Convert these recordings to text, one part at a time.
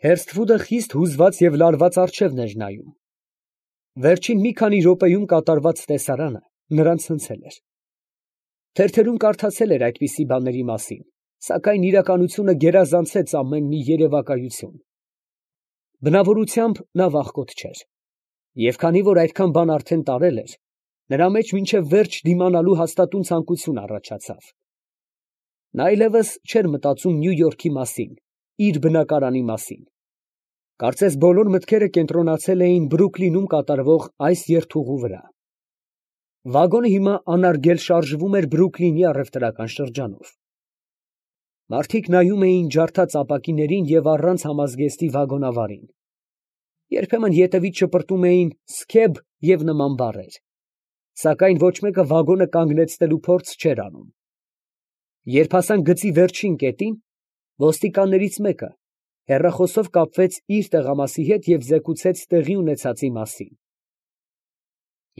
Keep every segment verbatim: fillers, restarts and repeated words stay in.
Հերսթվուդը խիստ հուզված և լարված առջևն էր նայում։ Վերջին մի քանի րոպեում կատարված տեսարանը նրան ցնցել էր։ Թերթերում կարդացել էր այդպիսի բաների մասին, սակայն իրականությունը գերազանցեց ամեն մի երևակայություն։ Բնավորությամբ նա վախկոտ չէր, և քանի որ այդքան բան արդեն տարել էր, նրա մեջ մինչև վերջ դիմանալու հաստատուն ցանկություն առաջացավ։ Նա այլևս չէր մտածում Նյու Յորքի մասին, իր բնակարանի մասին։ Կարծես բոլոր մտքերը կենտրոնացել էին Բրուքլինում կատարվող այս երթուղու վրա։ Վագոնը հիմա անարգել շարժվում էր Բրուքլինի առևտրական շրջանով։ Մարդիկ նայում էին ջարդած ապակիներին և առանց համազգեստի վագոնավարին։ Երբեմն ետևից շպրտում էին «սքեբ» և նման բառեր, սակայն ոչ մեկը վագոնը կանգնեցնելու փորձ չէր անում։ Երբ հասան գծի վերջին կետին, ոստիկաններից մեկը հեռախոսով կապվեց իր տեղամասի հետ և զեկուցեց տեղի ունեցածի մասին։ ֊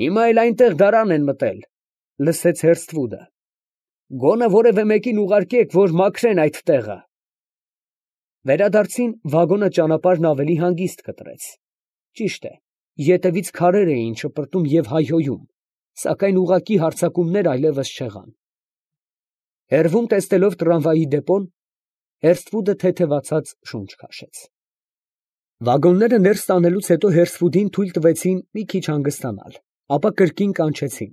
Հիմա էլ այնտեղ դարան են մտել, ֊ լսեց Հերսթվուդը։ ֊ Գոնե որևէ մեկին ուղարկեք, որ մաքրեն այդ տեղը։ Վերադարձին վագոնը ճանապարհն ավելի հանգիստ կտրեց։ Ճիշտ է, ետևից քարեր էին շպրտում և հայհոյում, սակայն ուղղակի հարձակումներ այլևս չեղան։ Հեռվում տեսնելով տրամվայի դեպոն, Հերսթվուդը թեթևացած շունչ քաշեց։ Վագոնները ներս տանելուց հետո Հերսթվուդին թույլ տվեցին մի քիչ հանգստանալ, ապա կրկին կանչեցին։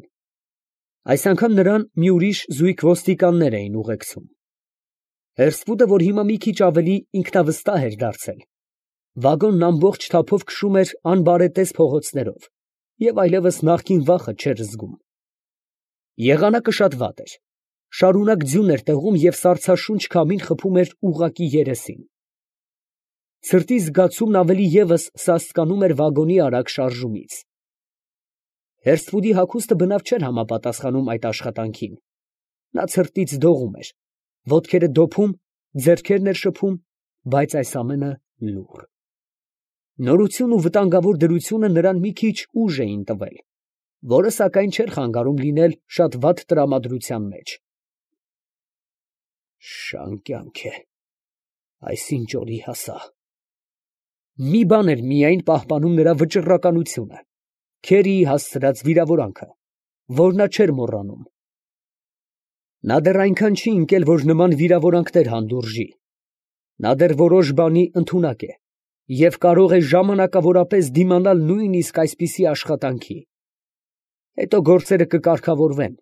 Այս անգամ նրան մի ուրիշ զույգ ոստիկաններ էին ուղեկցում։ Հերսթվուդը, որ հիմա մի քիչ ավելի ինքնավստահ էր դարձել, վագոնն ամբողջ թափով քշում էր անբարետես փողոցներով և այլևս նախկին վախը չէր զգում։ Եղանակը շատ վատ էր, շարունակ ձյուն էր տեղում և սառցաշունչ քամին խփում էր ուղղակի երեսին։ Սրտի զգացումն ավելի ևս սաստկանում էր վագոնի արագ շարժումից։ Հերսթվուդի հագուստը բնավ չէր համապատասխանում այդ աշխատանքին։ Նա ցրտից դողում էր, ոտքերը դոփում, ձեռքերն էր շփում, բայց այս ամենը լուռ։ Նորությունն ու վտանգավոր դրությունը նրան մի քիչ ուժ էին տվել, որը սակայն չէր խանգարում լինել շատ վատ տրամադրության մեջ։ Շան կյանք է, այս ինչ օրի հասա։ Մի բան էր միայն պահպանում նրա վճռականությունը, Քերիի հասցրած վիրավորանքը, որ նա չէր մոռանում։ Նա դեռ այնքան չի ընկել, որ նման վիրավորանքներ հանդուրժի։ Նա դեռ որոշ բանի ընդունակ է և կարող է ժամանակավորապես դիմանալ նույնիսկ այսպիսի աշխատանքի։ Հետո գործերը կկարգավորվեն,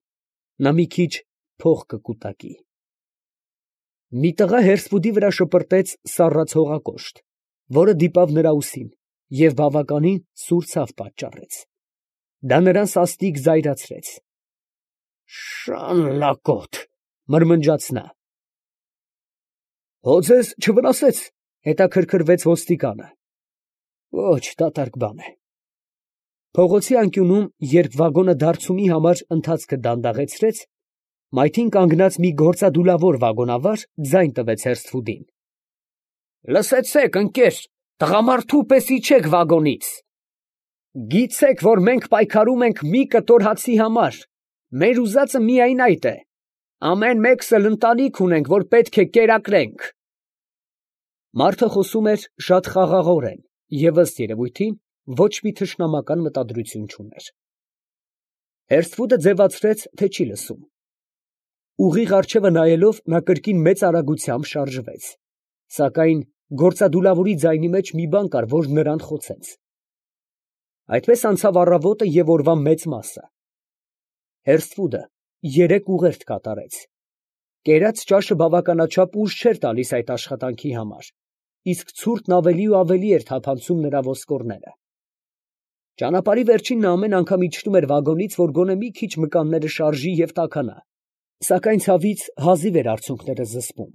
նա մի քիչ փող կկուտակի։ Մի տղա Հերսթվուդի վրա շպրտեց սառած հողակոշտ, որը դիպավ նրա ուսին և բավականին սուր ցավ պատճառեց։ Դա նրան սաստիկ զայրացրեց։ Շան լակոտ, ֊ մրմնջաց նա։ Հո ձեզ չվնասեց, ֊ հետաքրքրվեց ոստիկանը։ Ոչ, դատարկ բան է։ Փողոցի անկյունում, երբ վագոնը դարձումի համար ընթացքը դանդաղեցրեց, մայթին կանգնած մի գործադուլավոր վագոնավար ձայն տվեց Հերսթվուդին։ Լսեցե՛ք, ընկեր, տղամարդու պես իջեք վագոնից։ Գիտեք, որ մենք պայքարում ենք մի կտոր հացի համար, մեր ուզածը միայն այդ է, ամեն մեկս էլ ընտանիք ունենք, որ պետք է կերակրենք։ Մարդը խոսում էր շատ խաղաղորեն և ըստ երևույթին ոչ մի թշնամական մտադրություն չուներ։ Հերսթվուդը ձևացրեց, թե չի լսում։ Ուղիղ առջևը նայելով, նա կրկին մեծ արագությամբ շարժվեց, սակայն գործադուլավորի ձայնի մեջ մի բան կար, որ նրան խոցեց։ Այդպես անցավ առավոտը և օրվա մեծ մասը։ Հերսթվուդը երեք ուղերձ կատարեց։ Կերած ճաշը բավականաչափ ուժ չէր տալիս այդ աշխատանքի համար, իսկ ցուրտն ավելի ու ավելի էր թափանցում նրա ոսկորները։ Ճանապարհի վերջին նա ամեն անգամ իջնում էր վագոնից, որ գոնե մի քիչ մկանները շարժի և տաքանա, սակայն ցավից հազիվ էր արցունքները զսպում։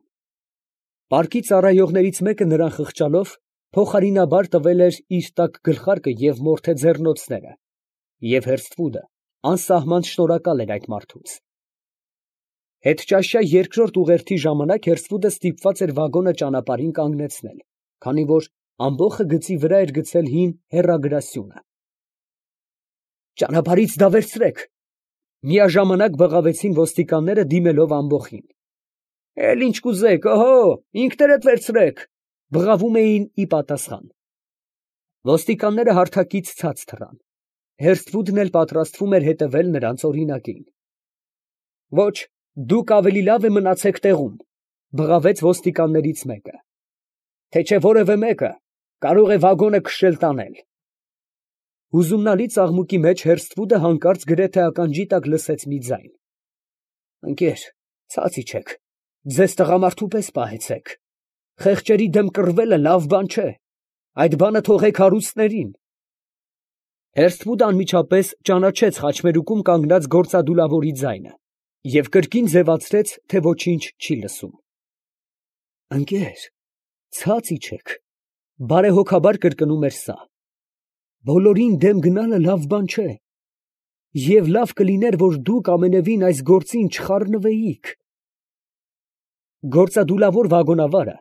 Պարկի ծառայողներից մեկը նրան խղճալով փոխարինաբար տվել էր իր տաք գլխարկը և մորթե ձեռնոցները, և Հերսթվուդը անսահման շնորհակալ էր այդ մարդուց։ Հետճաշյա երկրորդ ուղերձի ժամանակ Հերսթվուդը ստիպված էր վագոնը ճանապարհին կանգնեցնել, քանի որ ամբոխը գծի վրա էր գցել հին հեռագրասյունը։ Ճանապարհից դավերցրեք, ֊ միաժամանակ բղավեցին ոստիկանները, դիմելով ամբոխին։ Էլ ինչ կուզեք, օհո, ինքներդ վերցրեք, ֊ բղավում էին ի պատասխան։ Ոստիկանները հարթակից ցած թռան։ Հերսթվուդն էլ պատրաստվում էր հետևել նրանց օրինակին։ Ոչ, դուք ավելի լավ է մնացեք տեղում, բղավեց ոստիկաններից մեկը, թե չէ որևէ մեկը կարող է վագոնը քշել տանել։ Հուզումնալից աղմուկի մեջ Հերսթվուդը հանկարծ գրեթե ականջի տակ լսեց մի ձայն. Ընկեր, ցած իջեք, ձեզ տղամարդու պես պահեցեք, խեղճերի դեմ կռվելը լավ բան չէ, այդ բանը թողեք հարուստներին։ Հերսթվուդը անմիջապես ճանաչեց խաչմերուկում կանգնած գործադուլավորի ձայնը և կրկին ձևացրեց, թե ոչինչ չի լսում։ Ընկեր, ցած իջեք, բարեհոգաբար կրկնում էր սա։ Բոլորին դեմ գնալը լավ բան չէ, և լավ կլիներ, որ դուք ամենևին այս գործին չխառնվեիք։ Գործադուլավոր վագոնավարը,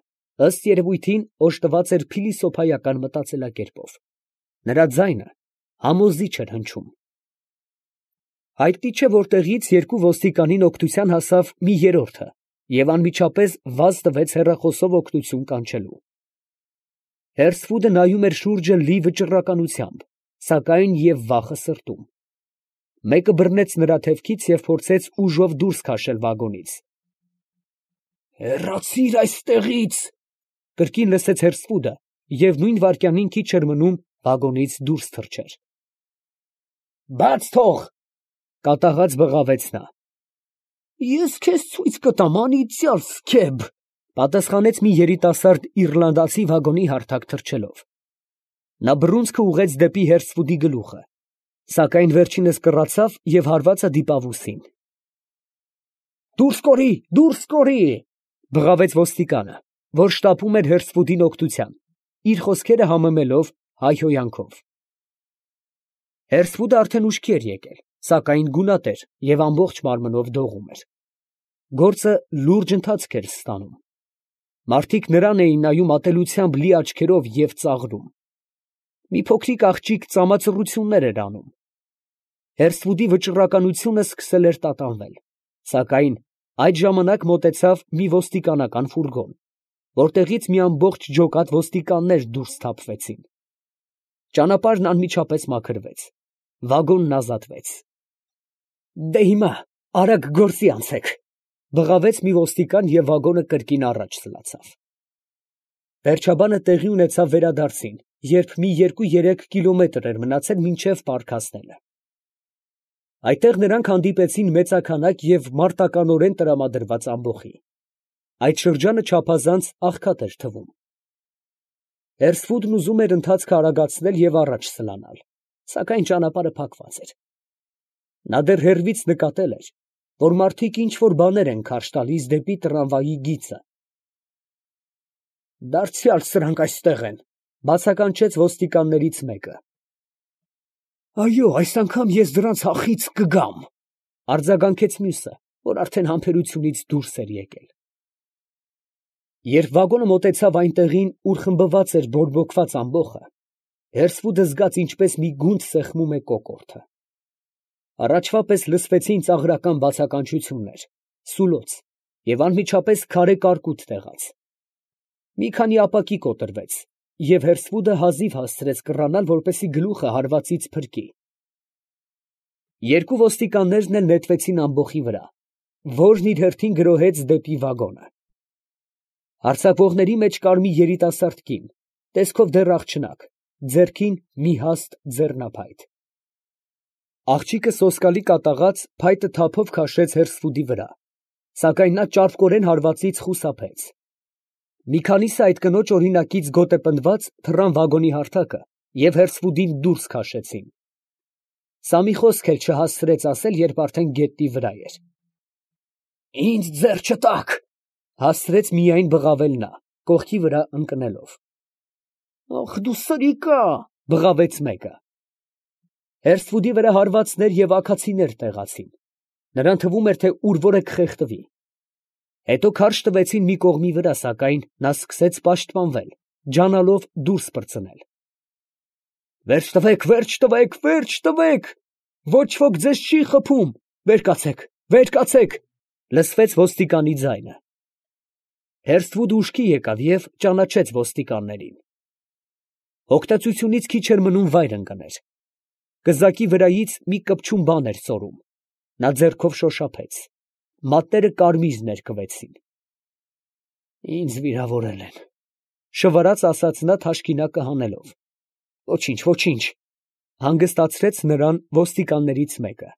ըստ երևույթին, օժտված էր փիլիսոփայական մտածելակերպով։ Նրա ձայնը համոզիչ էր հնչում։ Հայտնի չէ որտեղից երկու ոստիկանին օգնության հասավ մի երրորդը և անմիջապես վազ տվեց հեռախոսով օգնություն կանչելու։ Հերսթվուդը նայում էր շուրջը լի վճռականությամբ, սակայն և վախը սրտում։ Մեկը բռնեց նրա թևքից և փորձեց ուժով դուրս քաշել վագոնից։ Հեռացի՛ր այստեղից, կրկին լսեց Հերսթվուդը և նույն վայրկյանին քիչ էր մնում վագոնից դուրս թռչեր։ Բաց թող, կատաղած բղավեց նա։ Ես քեզ ցույց կտամ, անիծյալ սքեբ, պատասխանեց մի երիտասարդ իռլանդացի վագոնի հարթակ թռչելով։ Նա բռունցքը ուղղեց դեպի Հերսթվուդի գլուխը, սակայն վերջինս կռացավ և հարվածը դիպավ ուսին։ Դուրս կորի, դուրս կորի, բղավեց ոստիկանը, որ շտապում էր Հերսթվուդին օգնության, իր խոսքերը համեմելով հայհոյանքով։ Հերսթվուդը արդեն ուշքի էր եկել, սակայն գունատ էր և ամբողջ մարմնով դողում էր։ Գործը լուրջ ընթացք էր ստանում։ Մարդիկ նրան էին նայում ատելությամբ լի աչքերով և ծաղրում։ Մի փոքրիկ աղջիկ ծամացռություններ էր անում։ Հերսթվուդի վճռականությունը սկսել էր տատանվել, սակայն այդ ժամանակ մոտեցավ մի ոստիկանական ֆուրգոն, որտեղից մի ամբողջ ջոկատ ոստիկաններ դուրս թափվեցին։ Ճանապարհն անմիջապես մաքրվեց, վագոնն ազատվեց։ Դե հիմա արագ գործի անցեք, բղավեց մի ոստիկան և վագոնը կրկին առաջ սլացավ։ Վերջաբանը տեղի ունեցավ վերադարձին, երբ մի երկու֊երեք կիլոմետր էր մնացել մինչև պարկ հասնելը։ Այդտեղ նրանք հանդիպեցին մեծաքանակ և մարտականորեն տրամադրված ամբոխի։ Այդ շրջանը չափազանց աղքատ էր թվում։ Հերսթվուդն ուզում էր ընթացքը արագացնել և առաջ սլանալ, սակայն ճանապարհը փակված էր։ Նա դեռ հեռվից նկատել էր, որ մարդիկ ինչ֊որ բաներ են քարշ տալիս դեպի տրամվայի գիծը։ Դարձյալ սրանք այստեղ են, բացականչեց ոստիկաններից մեկը։ Այո, այս անգամ ես դրանց հախից կգամ, արձագանքեց մյուսը, որ արդեն համբերությունից դուրս էր եկել։ Երբ վագոնը մոտեցավ այն տեղին, ուր խմբված էր բորբոքված ամբոխը, Հերսթվուդը զգաց ինչպես մի գունդ սեղմում է կոկորդը։ Առաջվա պես լսվեցին ծաղրական բացականչություններ, սուլոց և անմիջապես քարե կարկուտ տեղաց։ Մի քանի ապակի կոտրվեց, և Հերսթվուդը հազիվ հասցրեց կռանալ, որպեսզի գլուխը հարվածից փրկի։ Երկու ոստիկաններն էլ նետվեցին ամբոխի վրա, որն իր հերթին գրոհեց դեպի վագոնը։ Հարձակվողների մեջ կար մի երիտասարդ կին, տեսքով դեռ աղջնակ, ձեռքին մի հաստ ձեռնափայտ։ Աղջիկը սոսկալի կատաղած փայտը թափով քաշեց Հերսթվուդի վրա, սակայն նա ճարպկորեն հարվածից խուսափեց։ Մի քանիսը այդ կնոջ օրինակից գոտեպնդված թռան վագոնի հարթակը և Հերսթվուդին դուրս քաշեցին։ Սա մի խոսք էլ չհասցրեց ասել, երբ արդեն գետնի վրա էր։ Ինձ ձեռ չտաք, հասցրեց միայն բղավել նա, կողքի վրա ընկնելով։ Ախ դու սրիկա, բղավեց մեկը։ Հերսթվուդի վրա հարվածներ և աքացիներ տեղացին։ Նրան թվում էր, թե ուր որ է կխեղդվի։ Հետո քարշ տվեցին մի կողմի վրա, սակայն նա սկսեց պաշտպանվել, ջանալով դուրս պրծնել։ Վերջ տվեք, վերջ տվեք, վերջ տվեք, ոչ ոք ձեզ չի խփում, վեր կացեք, վեր կացեք, լսվեց ոստիկանի ձայնը։ Հերսթվուդը ուշքի եկավ և ճանաչեց ոստիկաններին։ Հոգտածությունից քիչ էր մնում վայր ընկներ։ Կզակի վրայից մի կպչուն բան էր ծորում. նա ձեռքով շոշափեց, մատները կարմիր ներկվեցին։ «Ինձ վիրավորել են», շվարած ասաց նա թաշկինակը հանելով։ «Ոչինչ, ոչինչ», հանգստացրեց նրան ոստիկաններից մեկը։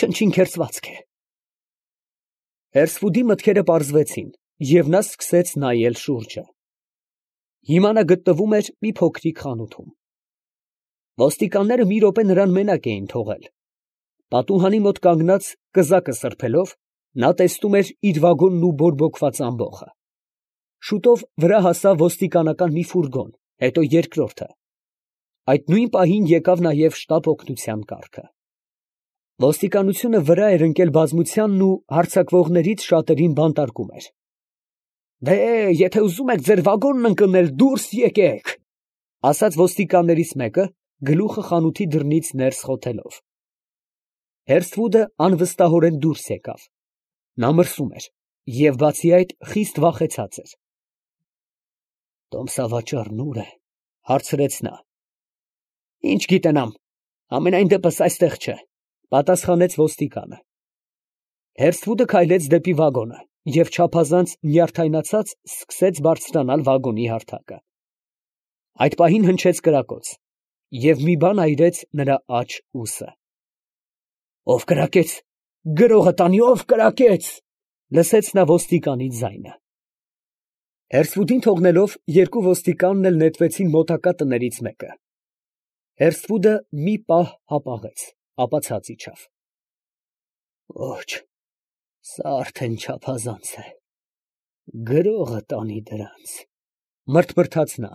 «Չնչին քերծվածք է»։ Հերսթվուդի մտքերը պարզվեցին, և նա սկսեց նայել շուրջը։ Հիմա նա գտնվում էր մի փոքրիկ խանութում։ Ոստիկանները մի րոպե նրան մենակ էին թողել։ Պատուհանի մոտ կանգնած, կզակը սրբելով, նա տեսնում էր իր վագոնն ու բորբոքված ամբոխը։ Շուտով վրա հասավ ոստիկանական մի ֆուրգոն, հետո երկրորդը։ Այդ նույն պահին եկավ նաև շտապ օգնության կառքը։ Ոստիկանությունը վրա էր ընկել բազմությանն ու հարձակվողներից շատերին բանտարկում էր։ «Դե, եթե ուզում եք ձեր վագոնն ընկնել, դուրս եկեք», ասաց ոստիկաններից մեկը, գլուխը խանութի դռնից ներս խոթելով։ Հերսթվուդը անվստահորեն դուրս եկավ։ Նա մրսում էր և, բացի այդ, խիստ վախեցած էր։ «Տոմսավաճառն ո՞ւր է», հարցրեց նա։ «Ինչ գիտենամ, համենայն դեպս այստեղ չէ», պատասխանեց ոստիկանը։ Հերսթվուդը քայլեց դեպի վագոնը և չափազանց նյարդայնացած սկսեց բարձրանալ վագոնի հարթակը։ Այդ պահին հնչեց կրակոց, և մի բան այրեց նրա աջ ուսը։ «Ո՞վ կրակեց, գրողը տանի, ո՞վ կրակեց», լսեց նա ոստիկանի ձայնը։ Հերսթվուդին թողնելով, երկու ոստիկանն էլ նետվեցին մոտակա տներից մեկը։ Հերսթվուդը մի պահ հապաղեց, ապա ցած իջավ։ «Ոչ, սա արդեն չափազանց է, գրողը տանի դրանց», մրթմրթաց նա։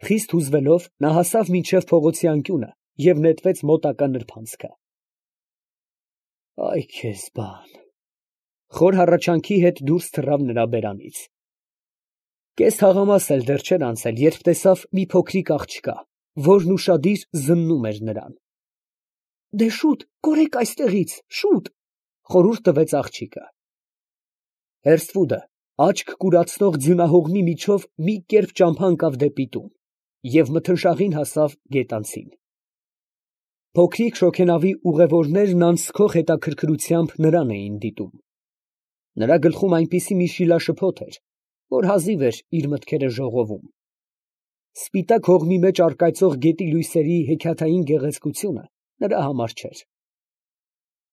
Խիստ հուզվելով, նա հասավ մինչև փողոցի անկյունը և նետվեց մոտակա նրբանցքը։ «Այ քեզ բան», խոր հառաչանքի հետ դուրս թռավ նրա բերանից։ Կես թաղամաս էլ դեռ չէր անցել, երբ տեսավ մի փոքրիկ աղջկա, որն ուշադիր զննում էր նրան։ «Դե շուտ կորեք այստեղից, շուտ», խորհուրդ տվեց աղջիկը։ Հերսթվուդը աչք կուրացնող ձյունահողմի միջով մի կերպ ճամփա ընկավ դեպի տուն և մթնշաղին հասավ գետանցին։ Փոքրիկ շոգենավի ուղևորներն անցքող հետաքրքրությամբ նրան էին դիտում։ Նրա գլխում այնպիսի մի շիլաշփոթ էր, որ հազիվ էր իր մտքերը ժողովում։ Սպիտակ հողմի մեջ առկայծող գետի լույսերի հեքիաթային գեղեցկությունը նրա համար չէր։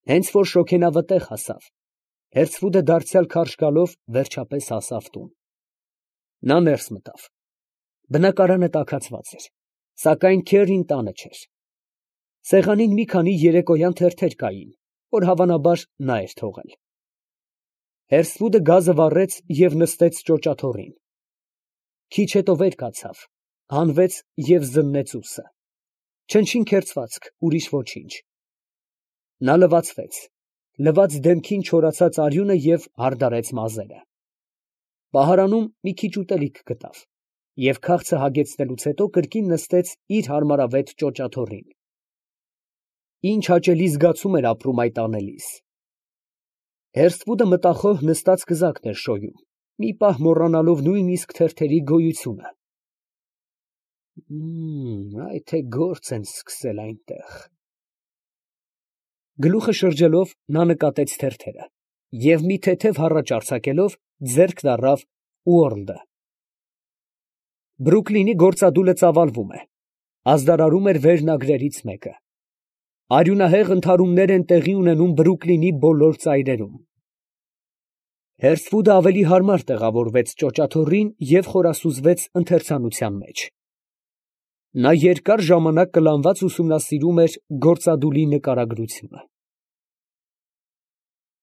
Հենց որ շոգենավը տեղ հասավ, Հերսթվուդը դարձյալ քարշ գալով վերջապես հասավ տուն։ Նա ներս մտավ։ Բնակարանը տաքացված էր, սակայն քեռին տանը չէր։ Սեղանին մի քանի երեկոյան թերթեր կային, որ հավանաբար նա էր թողել։ Հերսթվուդը գազը վառեց և նստեց ճոճաթոռին։ Քիչ հետո վեր կացավ, հանվեց և զննեց ուսը։ Չնչին քերծվածք, ուրիշ ոչինչ։ Նա լվացվեց, լված դեմքին չորացած արյունը և հարդարեց մազերը։ Պահարանում մի քիչ ուտելիք գտավ և քաղցը հագեցնելուց հետո կրկին նստեց իր հարմարավետ ճոճաթոռին։ Ինչ հաճելի զգացում էր ապրում այդ անելիս։ Հերսթվուդը մտախոհ նստած կզակն էր շոյում, մի պահ մոռանալով նույնիսկ թերթերի գոյությունը։ «Այ թե գործ են սկսել այնտեղ»։ Գլուխը շրջելով, նա նկատեց թերթերը և մի թեթև հառաչ արձակելով, ձեռքն առավ Ուորլդը։ Բրուքլինի գործադուլը ծավալվում է, ազդարարում էր վերնագրերից մեկը։ Արյունահեղ ընդհարումներ են տեղի ունենում Բրուքլինի բոլոր ծայրերում։ Հերսթվուդը ավելի հարմար տեղավորվեց ճոճաթոռին և խորասուզվեց ընթերցանության մեջ։ Նա երկար ժամանակ կլանված ուսումնասիրում էր գործադուլի նկարագրությունը։